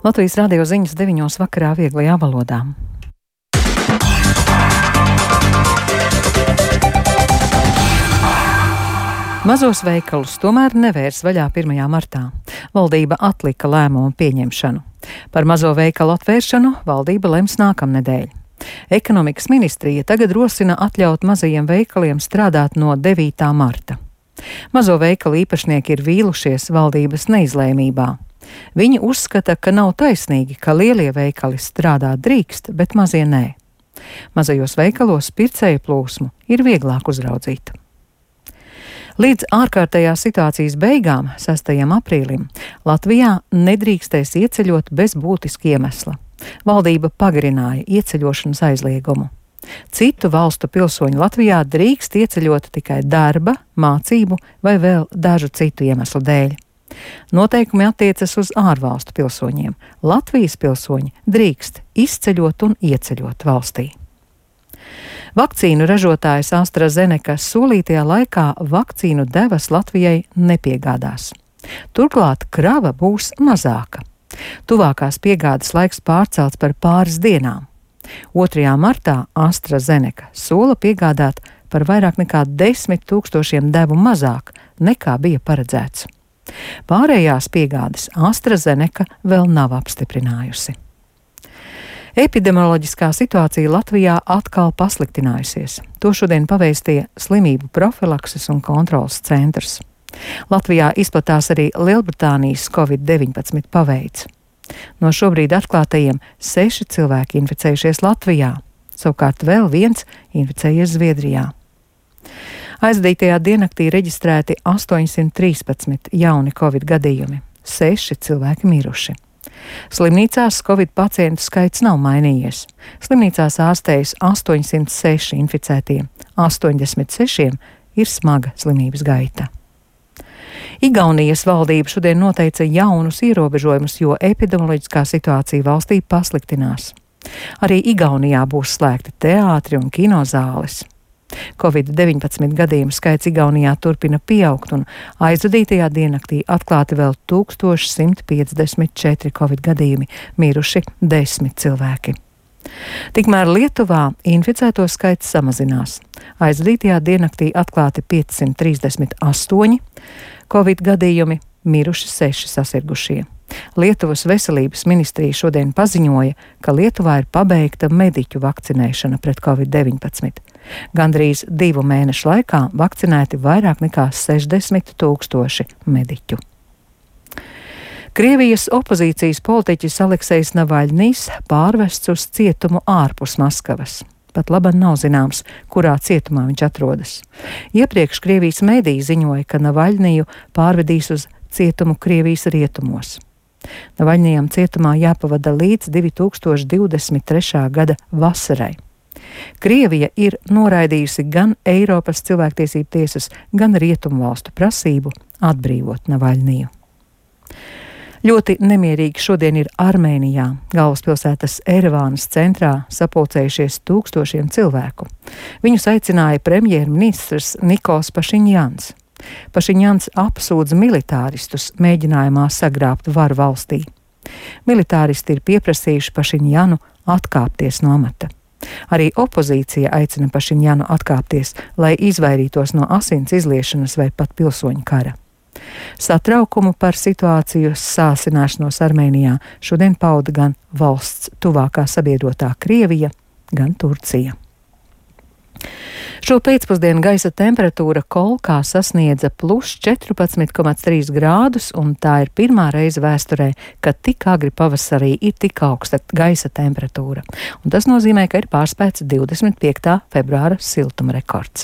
Latvijas radio ziņas 9 vakarā vieglajā valodā. Mazos veikalus tomēr nevērs vaļā 1. martā. Valdība atlika lēmumu pieņemšanu. Par mazo veikalu atvēršanu valdība lems nākamnedēļ. Ekonomikas ministrija tagad rosina atļaut mazajiem veikaliem strādāt no 9. marta. Mazo veikalu īpašnieki ir vīlušies valdības neizlēmībā. Viņi uzskata, ka nav taisnīgi, ka lielie veikali strādāt drīkst, bet mazie nē. Mazajos veikalos pircēju plūsmu ir vieglāk uzraudzīt. Līdz ārkārtējās situācijas beigām, 6. aprīlim, Latvijā nedrīkstēs ieceļot bez būtiska iemesla. Valdība pagarināja ieceļošanas aizliegumu. Citu valstu pilsoņi Latvijā drīkst ieceļot tikai darba, mācību vai vēl dažu citu iemeslu dēļ. Noteikumi attiecas uz ārvalstu pilsoņiem. Latvijas pilsoņi drīkst izceļot un ieceļot valstī. Vakcīnu ražotājs AstraZeneca solītajā laikā vakcīnu devas Latvijai nepiegādās. Turklāt krava būs mazāka. Tuvākās piegādes laiks pārcelts par pāris dienām. 2. martā AstraZeneca sola piegādāt par vairāk nekā 10 000 devu mazāk nekā bija paredzēts. Pārējās piegādes AstraZeneca vēl nav apstiprinājusi. Epidemioloģiskā situācija Latvijā atkal pasliktinājusies. To šodien pavēstīja Slimību profilakses un kontrolas centrs. Latvijā izplatās arī Lielbritānijas Covid-19 paveids. No šobrīd atklātajiem 6 cilvēki inficējušies Latvijā, savukārt vēl viens inficējies Zviedrijā. Aizdītajā diennaktī reģistrēti 813 jauni Covid gadījumi, 6 cilvēki miruši. Slimnīcās Covid pacientu skaits nav mainījies. Slimnīcās ārstējas 806 inficētie, 86 ir smaga slimības gaita. Igaunijas valdība šodien noteica jaunus ierobežojumus, jo epidemioloģiskā situācija valstī pasliktinās. Arī Igaunijā būs slēgti teātri un kinozāles. Covid-19 gadījumu skaits Igaunijā turpina pieaugt, un aizvadītajā diennaktī atklāti vēl 1154 Covid gadījumi, miruši 10 cilvēki. Tikmēr Lietuvā inficēto skaits samazinās. Aizvadītajā diennaktī atklāti 538 Covid gadījumi, miruši 6 sasirgušie. Lietuvas veselības ministrija šodien paziņoja, ka Lietuvā ir pabeigta mediķu vakcinēšana pret Covid-19. Gandrīz 2 mēnešu laikā vakcinēti vairāk nekā 60 000 mediķu. Krievijas opozīcijas politiķis Aleksejs Navaļņijs pārvests uz cietumu ārpus Maskavas. Pat laban nav zināms, kurā cietumā viņš atrodas. Iepriekš Krievijas mediji ziņoja, ka Navaļņiju pārvedīs uz cietumu Krievijas rietumos. Navaļņijam cietumā jāpavada līdz 2023. gada vasarai. Krievija ir noraidījusi gan Eiropas cilvēktiesību tiesas, gan rietumu valstu prasību atbrīvot Navaļņiju. Ļoti nemierīgi šodien ir Armēnijā. Galvaspilsētas Erevānas centrā sapulcējušies tūkstošiem cilvēku. Viņus aicināja premjerministrs Nikols Pašiņjans. Pašiņjans apsūdz militāristus mēģinājumā sagrābt varu valstī. Militāristi ir pieprasījuši Pašiņjanu atkāpties no amata. Arī opozīcija aicina Pašiņjanu atkāpties, lai izvairītos no asins izliešanas vai pat pilsoņu kara. Satraukumu par situāciju sāsināšanos Armēnijā šodien pauda gan valsts tuvākā sabiedrotā Krievija, gan Turcija. Šo pēcpusdienu gaisa temperatūra Kolkā sasniedza +14,3 grādus, un tā ir pirmā reize vēsturē, kad tik agri pavasarī ir tik augsta gaisa temperatūra. Un tas nozīmē, ka ir pārspēts 25. februāra siltuma rekords.